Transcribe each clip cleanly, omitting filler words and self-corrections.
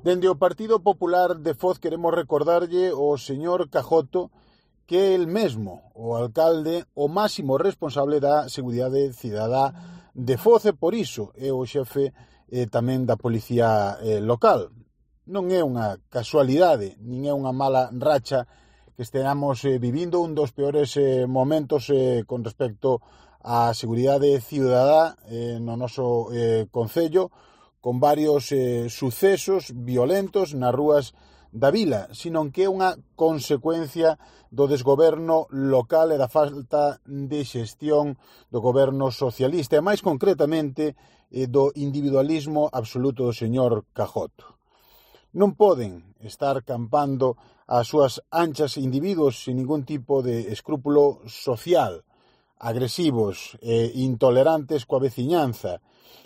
Dende o Partido Popular de Foz queremos recordarlle ao señor Cajoto que é el mesmo, o alcalde, o máximo responsable da seguridade cidadá de Foz e por iso é o xefe tamén da policía local. Non é unha casualidade, nin é unha mala racha que esteamos vivindo un dos peores momentos con respecto á seguridade cidadá no noso concello, con varios sucesos violentos nas rúas da vila, senón que é unha consecuencia do desgoberno local e da falta de xestión do goberno socialista e máis concretamente do individualismo absoluto do señor Cajoto. Non poden estar campando as súas anchas individuos sin ningún tipo de escrúpulo social, agresivos e intolerantes coa veciñanza,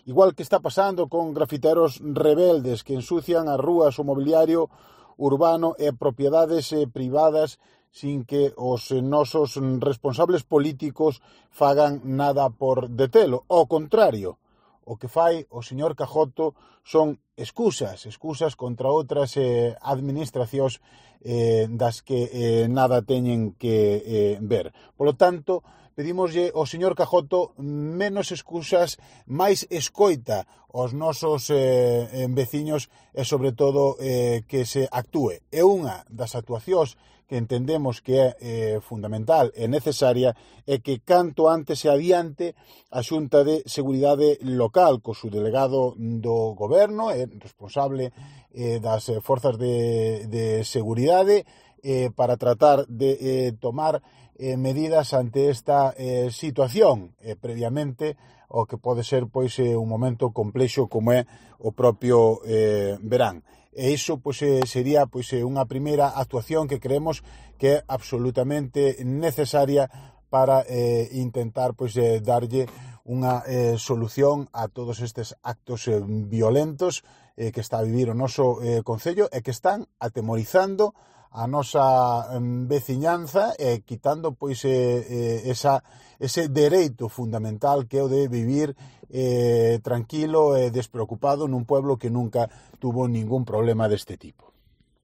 igual que está pasando con grafiteros rebeldes que ensucian as rúas, o mobiliario urbano e propiedades privadas sin que os nosos responsables políticos fagan nada por detelo. Ao contrario, o que fai o señor Cajoto son excusas contra outras administracións das que nada teñen que ver. Polo tanto, pedimoslle ao señor Cajoto menos excusas, máis escoita aos nosos veciños e, sobre todo, que se actúe. É unha das actuacións que entendemos que é fundamental e necesaria e que canto antes se adiante a Xunta de Seguridade Local co seu delegado do goberno e responsable das forzas de seguridade para tratar de tomar medidas ante esta situación previamente o que pode ser un momento complexo como é o propio verán. E iso sería unha primeira actuación que creemos que é absolutamente necesaria para intentar darlle unha solución a todos estes actos violentos que está a vivir o noso concello e que están atemorizando a nosa veciñanza e quitando ese dereito fundamental que é o de vivir tranquilo e despreocupado nun pueblo que nunca tuvo ningún problema deste tipo.